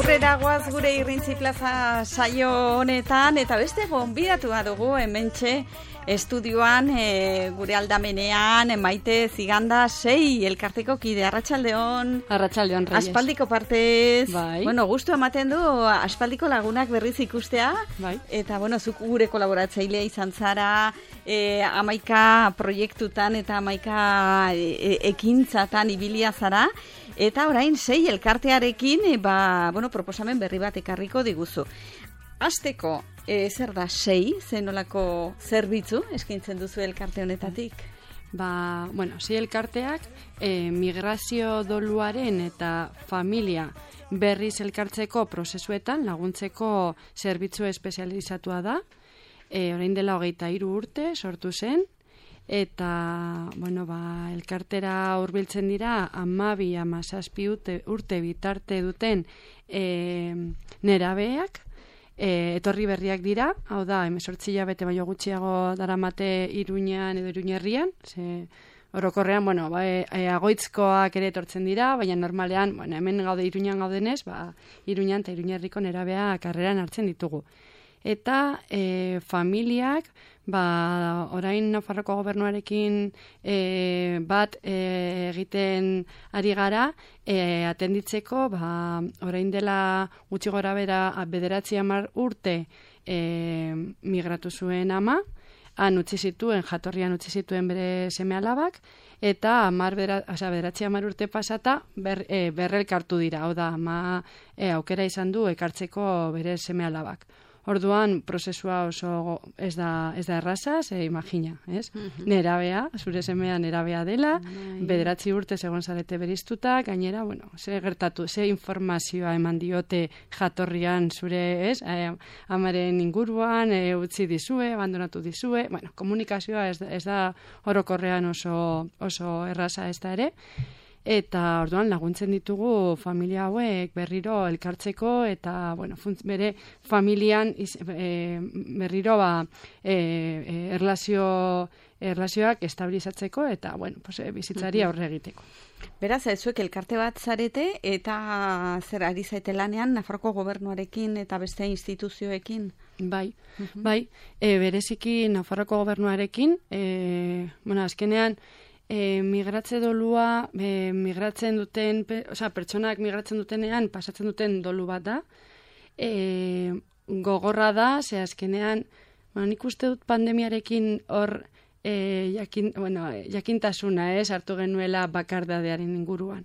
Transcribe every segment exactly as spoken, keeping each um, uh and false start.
Aurrera goaz gure Irrintzi Plaza saio honetan, eta beste gonbidatua dugu hementxe estudioan, e, gure aldamenean, Maite Ziganda sei elkarteko kide. Arratsaldeon. Arratsaldeon, Reyes. Aspaldiko partez, bai. Bueno, gustu ematen du aspaldiko lagunak berriz ikustea, bai. Eta bueno, zuk gure kolaboratzailea izan zara, e, amaika proiektutan eta amaika e, ekintzatan ibilia zara. Eta orain sei elkartearekin e, ba, bueno, proposamen berri bat ekarriko diguzu. Hasteko, e, zer da sei, zenolako zerbitzu eskaintzen duzu elkarte honetatik? Ba, bueno, sei elkarteak e, migrazio doluaren eta familia berriz elkartzeko prozesuetan laguntzeko zerbitzu espezializatua da. E, orain dela hogeita hiru urte sortu zen. Eta, bueno, ba, elkartera hurbiltzen dira hamabi hamazazpi urte, urte bitarte duten e, nerabeak, e, etorri berriak dira, hau da, hemezortzi hilabete baino gutxiago daramate Iruñan edo Iruñerrian, ze orokorrean, bueno, ba, e, e, agoitzkoak ere etortzen dira, baina normalean, bueno, hemen gaude Iruñan gaudenez, ba, Iruñan eta Iruñerriko nerabea karreran hartzen ditugu. Eta e, familiak, ba, orain Nafarroko gobernuarekin e, bat e, egiten ari gara, e, atenditzeko, ba, orain dela gutxi gora bera bederatzi hamar urte e, migratu zuen ama, han utzi zituen, jatorrian utzi zituen bere seme alabak, eta hamar bera, osea, bederatzi hamar urte pasata ber, e, berrelkartu dira, hau da, ama e, aukera izan du ekartzeko bere seme alabak. Orduan, prozesua oso ez da, ez da erraza, ze imagina, ez? Mm-hmm. Nerabea, zure semea nerabea dela, mm-hmm. bederatzi urte segon zarete beriztuta, gainera, bueno, ze gertatu, ze informazioa eman diote jatorrian zure, ez? E, amaren inguruan, e, utzi dizue, abandonatu dizue, bueno, komunikazioa ez da, ez da orokorrean oso, oso erraza ez da ere. Eta orduan laguntzen ditugu familia hauek berriro elkartzeko eta bueno, funtz, bere familian iz, e, berriro ba, e, e, erlazio, erlazioak estabilizatzeko eta bueno, pues, e, bizitzari aurre egiteko. Beraz, zuek elkarte bat zarete eta zer ari zaite lanean Nafarroko gobernuarekin eta beste instituzioekin? Bai, uh-huh. bai, e, bereziki Nafarroko gobernuarekin, e, bueno, azkenean, E, migratze dolua, e, migratzen duten, pe, osea, pertsonak migratzen dutenean pasatzen duten dolu bat da. E, gogorra da, ze azkenean, bueno, nik uste dut pandemiarekin hor e, jakin, bueno, jakintasuna, ez, hartu genuela bakardadearen inguruan.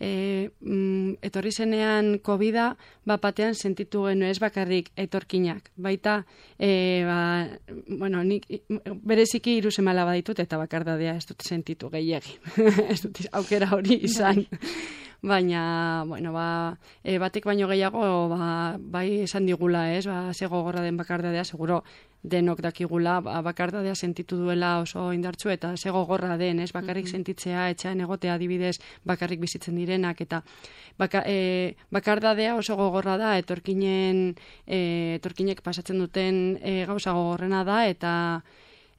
E, mm, etorri zenean covida bapatean sentitu genu ez bakarrik etorkinak. Baita, e, ba, bueno, nik bereziki hiru seme alaba ditut eta bakardadea ez dut sentitu gehiegi. Ez dut aukera hori izan. Baina, bueno, ba, e, batek baino gehiago, ba, bai esan digula, ez, ba, ze gogorra den bakardadea, seguro denok dakigula, ba, bakardadea sentitu duela oso indartsu eta ze gogorra den, ez, bakarrik mm-hmm. sentitzea, etxean egotea adibidez, bakarrik bizitzen direnak, eta baka, e, bakardadea oso gogorra da, etorkinen, e, etorkinek pasatzen duten e, gauza gogorrena da, eta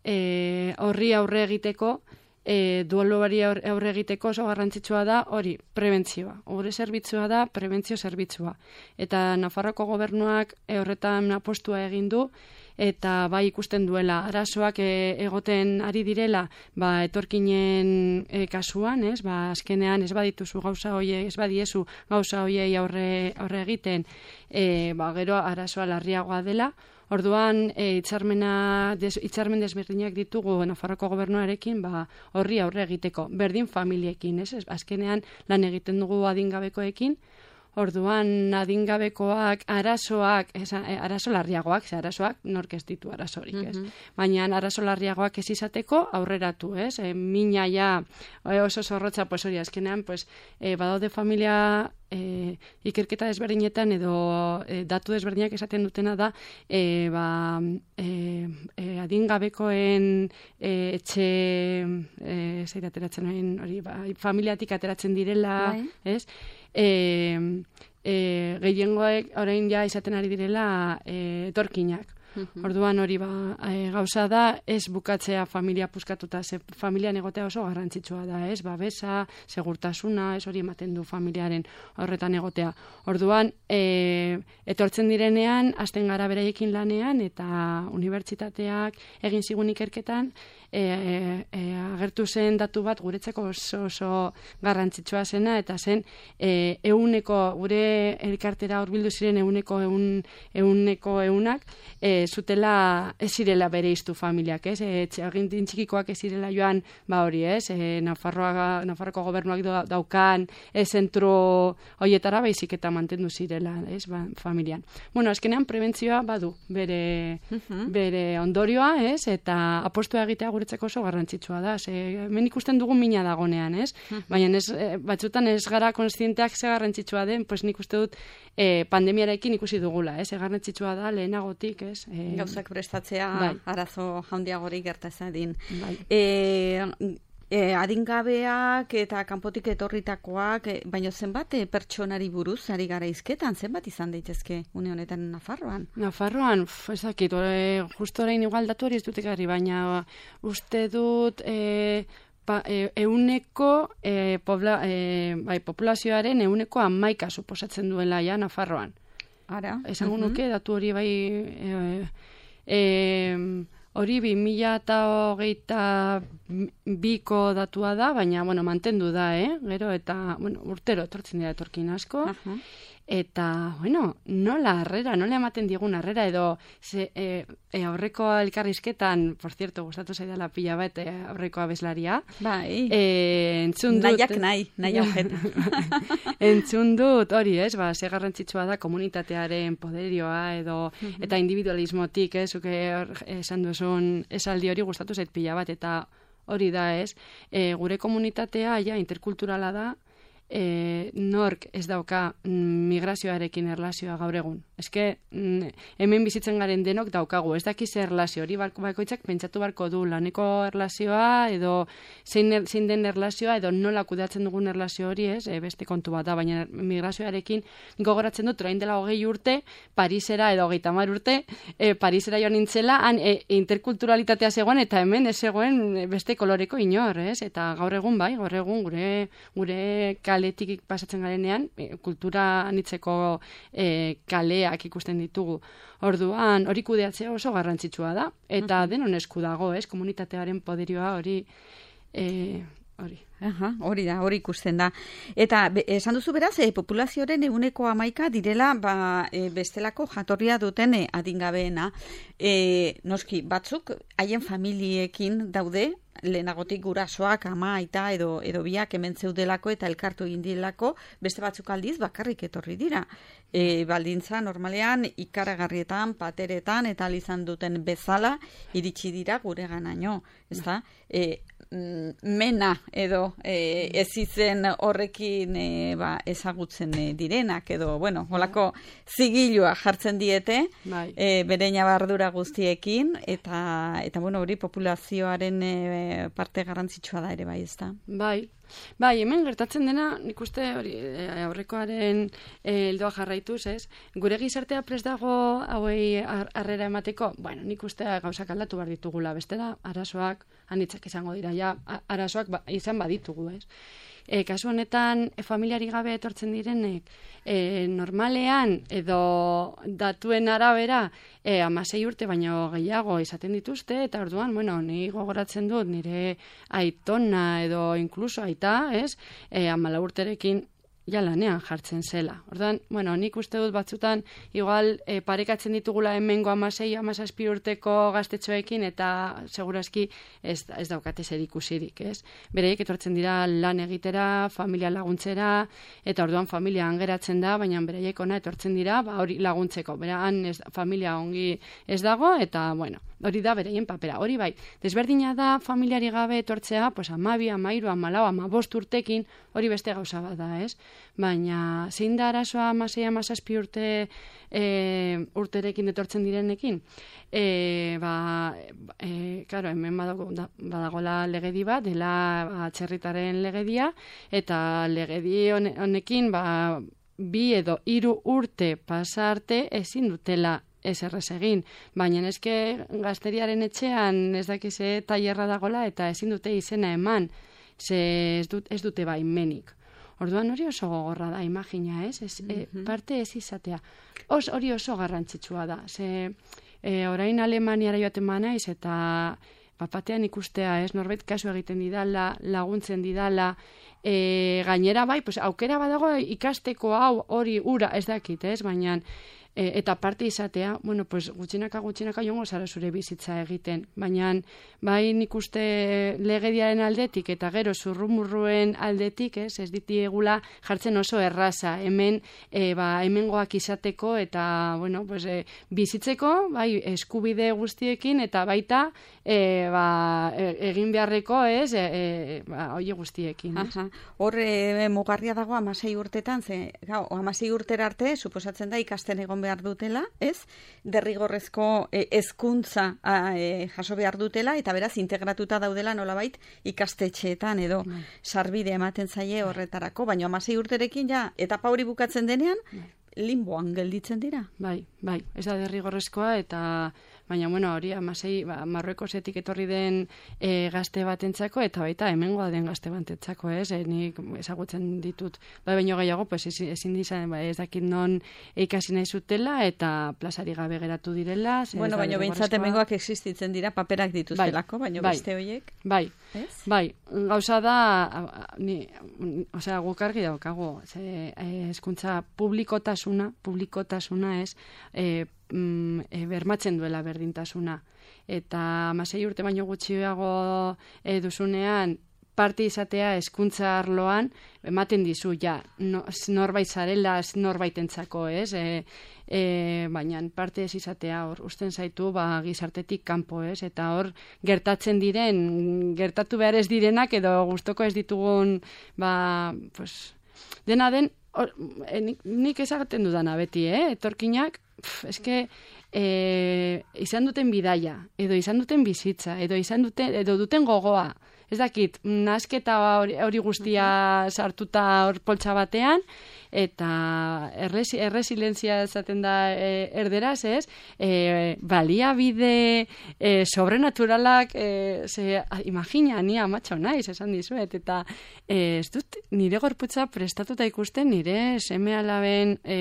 e, horri aurre egiteko, E, dueluari aurre egiteko oso garrantzitsua da hori, prebentzioa. Gure zerbitzua da prebentzio zerbitzua. Eta Nafarroko gobernuak e, horretan apostua egin du, eta bai ikusten duela arazoak e, egoten ari direla, ba, etorkinen e, kasuan, ez? Ba, azkenean ez badituzu gauza hoiei, ez badiezu gauza hoiei aurre, aurre egiten, e, ba, gero arazoa larriagoa dela. Orduan, e, itxarmena, des, itxarmen desberdinak ditugu Nafarroko gobernuarekin, ba, horri aurre egiteko, berdin familiekin, ez? Azkenean lan egiten dugu adingabekoekin, orduan adingabekoak, arazoak, ez, arazo larriagoak, ze arazoak nork ez ditu arazorik, ez? Mm-hmm. Baina arazo larriagoak ez izateko aurreratu, ez? E, mina ja oso zorrotza, pues hori, azkenean, pues, e, badaude familia E, ikerketa desberdinetan edo e, datu desberdinak esaten dutena da e, ba, e, e, adingabekoen e, etxe e, zeir ateratzen hori, ba, familiatik ateratzen direla, bai. Ez? E, e, gehiengoek orain ja izaten ari direla e, etorkinak. Orduan hori ba, e, gauza da, ez bukatzea familia puskatuta, ze familian egotea oso garrantzitsua da, ez? Babesa, segurtasuna, ez hori ematen du familiaren horretan egotea. Orduan, e, etortzen direnean, hasten gara beraiekin lanean, eta unibertsitateak egin zigun ikerketan, e, e, e, agertu zen datu bat guretzako oso, oso garrantzitsua zena, eta zen e, euneko, gure elkartera hurbildu ziren euneko eun, euneko eunak, e, zutela ez zirela bere iztu familiak, ez? E, agintin txikikoak ez zirela joan, ba hori, ez? E, Nafarroa, Nafarroko gobernuak daukan e, zentro hoietara baizik eta mantendu zirela, ez? Ba, familian. Bueno, azkenean prebentzioa badu bere, uh-huh. bere ondorioa, ez? Eta apostua egitea guretzako oso garrantzitsua da. Ze, hemen ikusten dugun mina dagonean, ez? Uh-huh. Baina ez, batzutan ez gara kontzienteak ze garrantzitsua den, pues nik uste dut e, pandemiarekin ikusi dugula, ez? E, garrantzitsua da lehenagotik, ez? E, Gauzak prestatzea bai. Arazo handiagorik gerta ezadin. Bai. E, E, adingabeak eta kanpotik etorritakoak, e, baina zenbat e, pertsonari buruz ari gara izketan, zenbat izan daitezke une honetan Nafarroan? Nafarroan, ez dakit, e, justo orain igual datu hori ez dut ekarri, baina uste dut e, pa, e, euneko e, pobla, e, bai, populazioaren euneko hamaika suposatzen duela ja Nafarroan. Ara? Esango uh-huh. nuke, datu hori bai... E, e, Hori bi mila eta hogeita biko datua da, baina, bueno, mantendu da, eh? Gero, eta, bueno, urtero etortzen dira etorkin asko. Uh-huh. Eta, bueno, nola harrera, nola ematen digun harrera, edo ze, e, e, aurreko elkarrizketan, por cierto, gustatu zaidala pila bat e, aurreko abeslaria. Bai, e, entzun dut... Nahiak nahi, nahi aujeta. Entzun dut, hori, ez, ba, ze garrantzitsua da komunitatearen poderioa, edo, uh-huh. eta individualismotik, ez, zuke esan duzun esaldi hori gustatu zait pila bat, eta hori da, ez, e, gure komunitatea, ja, interkulturala da, E, nork ez dauka mm, migrazioarekin erlazioa gaur egun. Eske, mm, hemen bizitzen garen denok daukagu, ez dakiz erlazio, hori bakoitzak pentsatu barko du laneko erlazioa, edo zein, er, zein den erlazioa, edo nola kudeatzen dugun erlazio hori, ez, e, beste kontu bat da, baina migrazioarekin gogoratzen dut, orain dela hogei urte, Parisera edo hogeita hamar urte, e, Parisera joan nintzela, han e, interkulturalitatea zegoen, eta hemen ez zegoen beste koloreko inor, ez, eta gaur egun bai, gaur egun gure, gure kaletik pasatzen garenean, e, kultura anitzeko e, kaleak ikusten ditugu. Orduan, hori kudeatzea oso garrantzitsua da, eta uh-huh. denon esku dago, ez, komunitatearen poderioa hori, e, hori. Aha, hori da, hori ikusten da. Eta be, esan duzu beraz, e, populazioaren eguneko hamaika direla ba, e, bestelako jatorria duten e, adingabeena. E, noski, batzuk haien familiekin daude, lehenagotik gurasoak, ama, aita edo, edo biak hemen zeudelako eta elkartu egin direlako, beste batzuk aldiz bakarrik etorri dira. E, baldintza normalean ikaragarrietan, pateretan eta izan duten bezala iritsi dira gure ganaino. Ezta? E, mena edo e, ez izen horrekin e, ba, ezagutzen e, direnak edo, bueno, holako zigilua jartzen diete bai. e, bere ñabardura guztiekin eta, eta bueno, hori populazioaren e, parte garrantzitsua da ere bai, ezta? Bai. Bai, hemen gertatzen dena, nik uste hori aurrekoaren heldoa e, jarraituz, ez? Gure gizartea prest dago hauei harrera emateko, bueno, nik uste gauzak aldatu behar ditugula, bestela arazoak anitzak izango dira, ja, arazoak ba, izan baditugu, ez? E, kasu honetan, e, familiari gabe etortzen direnek, e, normalean edo datuen arabera e, amasei urte baino gehiago izaten dituzte, eta orduan, bueno, ni gogoratzen dut nire aitona edo inkluso aita, ez, e, amala urterekin ja lanean jartzen zela. Orduan, bueno, nik uste dut batzutan igual e, parekatzen ditugula hemengo amasei, amazazpi urteko gaztetxoekin eta segurazki ez, ez daukate zer ikusirik, ez? Bereiek etortzen dira lan egitera, familia laguntzera, eta orduan familia angeratzen da, baina bereiek ona etortzen dira, ba hori laguntzeko. Bera, han ez, familia ongi ez dago, eta, bueno, hori da bereien papera. Hori bai, desberdina da familiari gabe etortzea, pues amabi, amairu, amalau, amabost urtekin, hori beste gauza bat da, ez? Baina zein da arazoa amasei, amazazpi urte e, urterekin etortzen direnekin? E, ba, e, claro, hemen badago, da, badagola legedi bat, dela ba, txerritaren legedia, eta legedi honekin, ba, bi edo hiru urte pasarte ezin dutela ez errez egin. Baina eske gazteriaren etxean ez dakize tailerra dagola eta ezin dute izena eman, ze ez, dut, ez dute baimenik. Orduan hori oso gogorra da, imagina, ez? ez mm-hmm. e, parte ez izatea. Os, hori oso garrantzitsua da. Ze, e, orain Alemaniara joaten ba naiz eta bapatean ikustea, ez? Norbait kasu egiten didala, laguntzen didala, e, gainera bai, pues, aukera badago ikasteko hau hori ura ez dakit, ez? Baina e, eta parte izatea, bueno, pues, gutxinaka gutxinaka jongo zara zure bizitza egiten. Baina bai nik uste legediaren aldetik eta gero zurrumurruen aldetik, ez, ez ditiegula jartzen oso erraza, hemen e, ba, hemengoak izateko eta, bueno, pues, e, bizitzeko, bai, eskubide guztiekin eta baita e, ba, e, egin beharreko, ez, e, e, ba, oie guztiekin. Aha. Hor, e, mugarria dago amasei urtetan, ze, gau, amasei urtera arte, suposatzen da ikasten egon behar dutela, ez? Derrigorrezko e, hezkuntza e, jaso behar dutela, eta beraz integratuta daudela nolabait ikastetxeetan edo bai. Sarbide ematen zaie horretarako, baina hamasei urterekin ja, etapa hori bukatzen denean, bai. Limboan gelditzen dira. Bai, bai, ez da derrigorrezkoa eta baina, bueno, hori amasei, ba, Marruekosetik etorri den e, gazte batentzako eta baita hemengoa den gazte batentzako, ez? E, nik ezagutzen ditut, bai, baino gehiago, pues, ezin dizan, ba, ez dakit non ikasi nahi zutela eta plazari gabe geratu direla. Bueno, baina behintzat hemengoak existitzen dira, paperak dituztelako, bai, baina bai, beste horiek. Bai, ez? Bai, gauza da, ni, osea, guk argi daukagu, ze, hezkuntza publikotasuna, publikotasuna ez, e, mm, e, bermatzen duela berdintasuna. Eta hamasei urte baino gutxiago e, duzunean, parte izatea hezkuntza arloan, ematen dizu, ja, no, norbait zarela, norbaitentzako, ez? E, e, baina parte ez izatea, hor, usten zaitu, ba, gizartetik kanpo, ez? Eta hor, gertatzen diren, gertatu behar ez direnak, edo gustoko ez ditugun, ba, pues, dena den, or, e, nik, nik ezaten dudana beti, eh? Etorkinak, pf, eske, e, izan duten bidaia, edo izan duten bizitza, edo izan duten, edo duten gogoa, ez dakit, nasketa hori, hori guztia sartuta hor poltsa batean, eta erresi, erresilientzia esaten da e, erderaz, ez? E, baliabide e, sobrenaturalak, e, ze, imagina, ni amatxo naiz, esan dizuet, eta e, ez dut nire gorputza prestatuta ikusten nire seme alaben, e,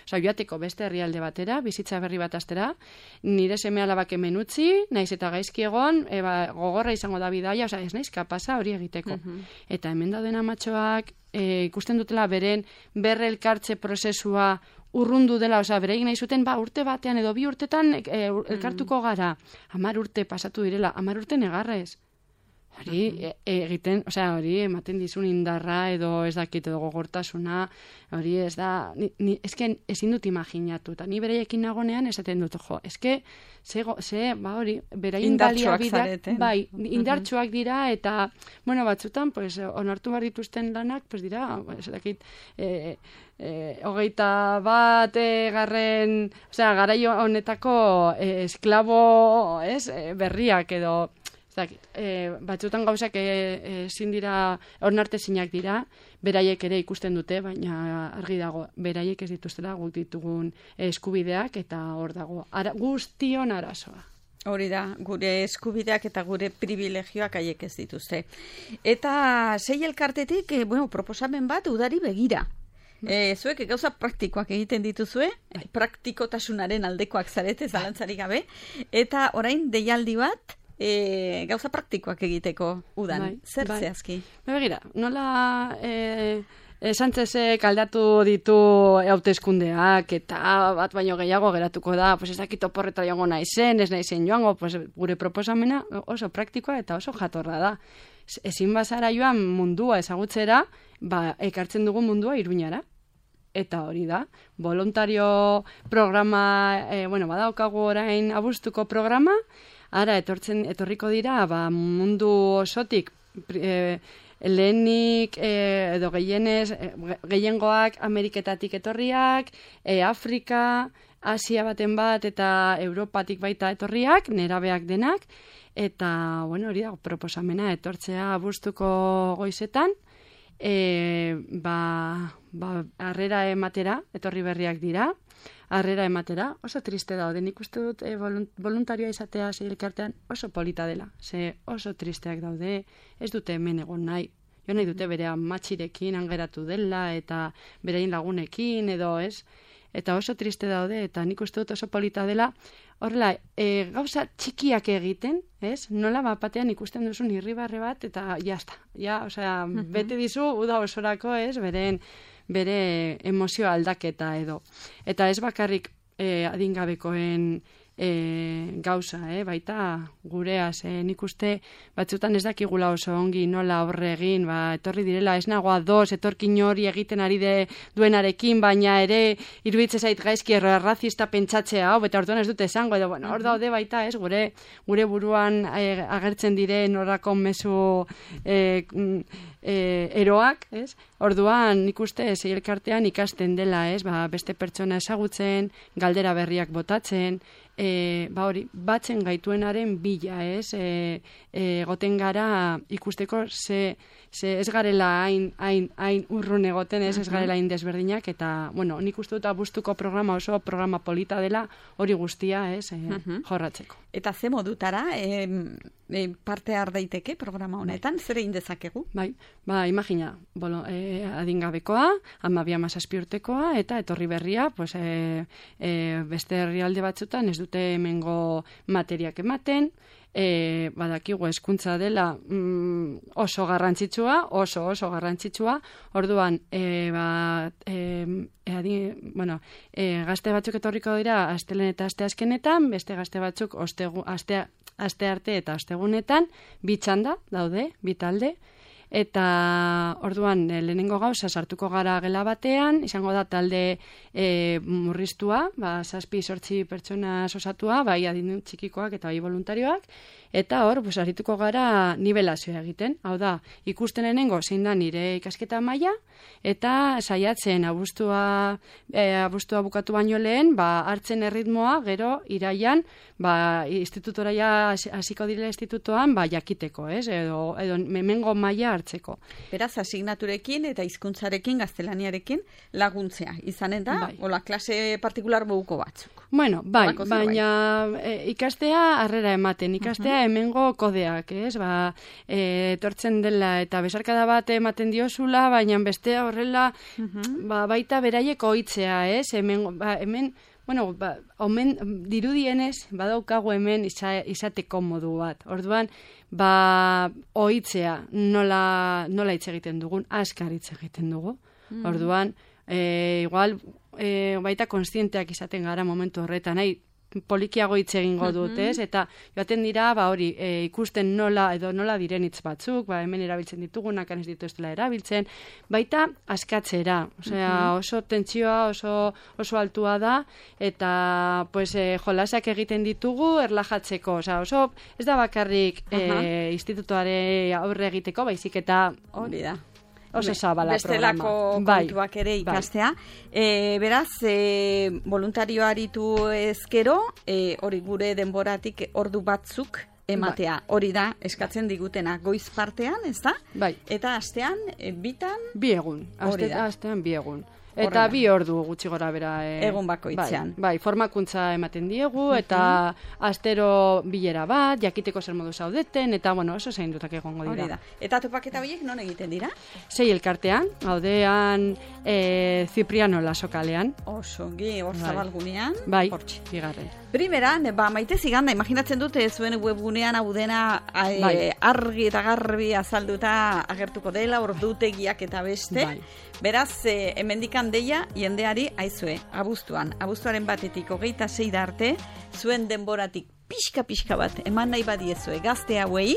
oza, joateko beste herrialde batera, bizitza berri bat astera, nire seme alabak hemen utzi, naiz eta gaizki egon, e, ba, gogorra izango da bidaia, oza, ez naiz kapasa hori egiteko. Uh-huh. Eta hemen dauden amatxoak, E, ikusten dutela beren berre elkartze prozesua urrundu dela, osea, bereik nahi zuten, ba, urte batean edo bi urtetan e, elkartuko gara. Hamar urte pasatu direla, hamar urte negarrez. Hori e, egiten, osea, hori ematen dizun indarra edo ez dakit edo gogortasuna, hori ez da, ni, ni, ezken ezin dut imaginatu, eta ni bereiekin nagonean esaten dut, jo, eske, ze, ze ba hori, beraien baliabideak, bai, indartsuak dira, eta, bueno, batzutan, pues, onartu behar dituzten lanak, pues dira, ez dakit, e, e, hogeita bat e, garren, osea, garaio honetako e, esklabo, ez, e, berriak edo, Zakit, e, batzutan gauzak ezin e, dira, onartezinak dira, beraiek ere ikusten dute, baina argi dago, beraiek ez dituztela guk ditugun eskubideak, eta hor dago, ara, guztion arazoa. Hori da, gure eskubideak eta gure privilegioak haiek ez dituzte. Eta sei elkartetik, e, bueno, proposamen bat udari begira. E, zuek gauza praktikoak egiten dituzue, praktikotasunaren aldekoak zarete, zalantzarik gabe, eta orain deialdi bat, E, gauza praktikoak egiteko udan. Bai, zer bai. Zehazki? Begira, nola e, e, Sánchezek aldatu ditu hauteskundeak eta bat baino gehiago geratuko da, pues ez dakit oporreta joango naizen, ez naizen joango, pues gure proposamena oso praktikoa eta oso jatorra da. Ezin bazara joan mundua ezagutzera, ba, ekartzen dugu mundua Iruñara. Eta hori da, voluntario programa, e, bueno, badaukagu orain abuztuko programa, ara etortzen etorriko dira, ba, mundu osotik e, lehenik e, edo gehienez, e, gehiengoak Ameriketatik etorriak, e, Afrika, Asia baten bat eta Europatik baita etorriak, nerabeak denak, eta, bueno, hori da, proposamena etortzea abuztuko goizetan, e, ba, ba, harrera ematera, etorri berriak dira, harrera ematera, oso triste daude. Nik uste dut e, voluntarioa izatea sei elkartean oso polita dela. Ze oso tristeak daude, ez dute hemen egon nahi. Jo nahi dute bere amatxirekin angeratu dela eta berein lagunekin edo ez. Eta oso triste daude eta nik uste dut oso polita dela. Horrela, e, gauza txikiak egiten, ez? Nola bapatean ikusten duzun irribarre bat eta jazta. Ja, osea, uh-huh. bete dizu uda osorako, ez? Beren, bere emozio aldaketa edo. Eta ez bakarrik e, adingabekoen e, gauza, eh? Baita gureaz, eh? Nik uste batzutan ez dakigula oso ongi nola horre egin, ba, etorri direla ez nagoa doz, etorkin hori egiten ari de duenarekin, baina ere iruditze zait gaizki errazista pentsatzea, hau, beta orduan ez dute esango, edo, bueno, hor daude baita, ez, gure, gure buruan e, agertzen diren horrako mezu e, e, eroak, ez? Orduan, nik uste, sei elkartean ikasten dela, ez, ba, beste pertsona ezagutzen, galdera berriak botatzen, E, ba hori, batzen gaituenaren bila, ez? E, e, goten gara ikusteko ze, ze ez garela hain, hain, hain urrun egoten, ez, ez garela hain desberdinak, eta, bueno, nik uste dut abuztuko programa oso programa polita dela hori guztia, ez, e, uh-huh. jorratzeko. Eta ze modutara e, e, parte har daiteke programa honetan, bai. Zer egin dezakegu? Bai, ba, imagina, bolo, e, adingabekoa, amabia mazazpi urtekoa, eta etorri berria, pues, e, e, beste herrialde batzutan ez dute hemengo materiak ematen, e, badakigu hezkuntza dela mm, oso garrantzitsua, oso oso garrantzitsua, orduan, e, ba, e, e, adi, bueno, e, gazte batzuk etorriko dira astelen eta aste azkenetan, beste gazte batzuk ostegu, aste, aste arte eta astegunetan, bi txanda daude, bi talde, eta orduan lehenengo gauza sartuko gara gela batean, izango da talde e, murriztua, ba, zazpi sortzi pertsona osatua, bai adin txikikoak eta bai voluntarioak, eta hor, pues, arituko gara nivelazioa egiten. Hau da, ikusten lehenengo zein da nire ikasketa maila, eta saiatzen abuztua, e, abuztua bukatu baino lehen, ba, hartzen erritmoa, gero, iraian, ba, institutora ja hasiko direla institutoan, ba, jakiteko, ez? Edo, edo memengo maila hartzeko. Beraz, asignaturekin eta hizkuntzarekin, gaztelaniarekin laguntzea. Izanen da, bai. Ola, klase partikular buko batzuk. Bueno, bai, baina e, ikastea harrera ematen, ikastea uh-huh. hemengo kodeak, ez? Ba, e, etortzen dela eta besarkada bat ematen diozula, baina bestea horrela, uh-huh. ba, baita beraiek ohitzea, ez? Hemen, ba, hemen bueno, ba, omen, dirudienez, badaukagu hemen iza, izateko modu bat. Orduan, ba, ohitzea nola, nola hitz egiten dugun, askar hitz egiten dugu. Mm. Orduan, e, igual, e, baita konstienteak izaten gara momentu horretan, nahi, polikiago hitz egingo dut, ez? Eta joaten dira, ba hori, e, ikusten nola edo nola diren hitz batzuk, ba hemen erabiltzen ditugunak, ez dituztela erabiltzen, baita askatzera, osea, oso tentsioa, oso oso altua da eta pues e, jolasak egiten ditugu erlajatzeko, osea, oso ez da bakarrik e, institutuare aurre egiteko, baizik eta hori da. Oso zabala bestelako programa. Kontuak ere ikastea. Bai. E, beraz, e, voluntario aritu ezkero, e, hori gure denboratik ordu batzuk ematea. Bai. Hori da, eskatzen digutena goiz partean, ez da? Bai. Eta astean, e, bitan? Bi egun. Aste, astean bi egun. Eta bi ordu gutxi gora bera. E, Egun bakoitzean. Bai, bai, formakuntza ematen diegu, eta uh-huh. astero bilera bat, jakiteko zer modu zaudeten, eta bueno, oso zein dutak egongo dira. Hori da. Eta topaketa horiek non egiten dira? Sei elkartean, gaudean e, Zipriano lasokalean. Oso, gi, hor zabalgunean. Bai, hortxe, bigarren. Primeran, ba, maite ziganda, imaginatzen dute zuen webgunean hau dena bai. argi eta garbi azalduta agertuko dela, ordutegiak eta beste. Bai. Beraz, e, hemendikan deia, jendeari, aizue, abuztuan, abuztuaren batetik hogeita sei da arte, zuen denboratik pixka-pixka bat, eman nahi badiezue gazte hauei,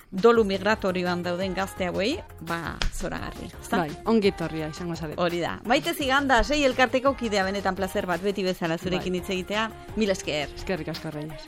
dolu migratorioan dauden gazte hauei, ba, zoragarri. Bai, ongitorria izango zabet. Hori da. Maite ziganda, sei elkarteko kidea benetan placer bat, beti bezala zurekin hitz egitea, mil esker. Eskerrik asko, Reyes.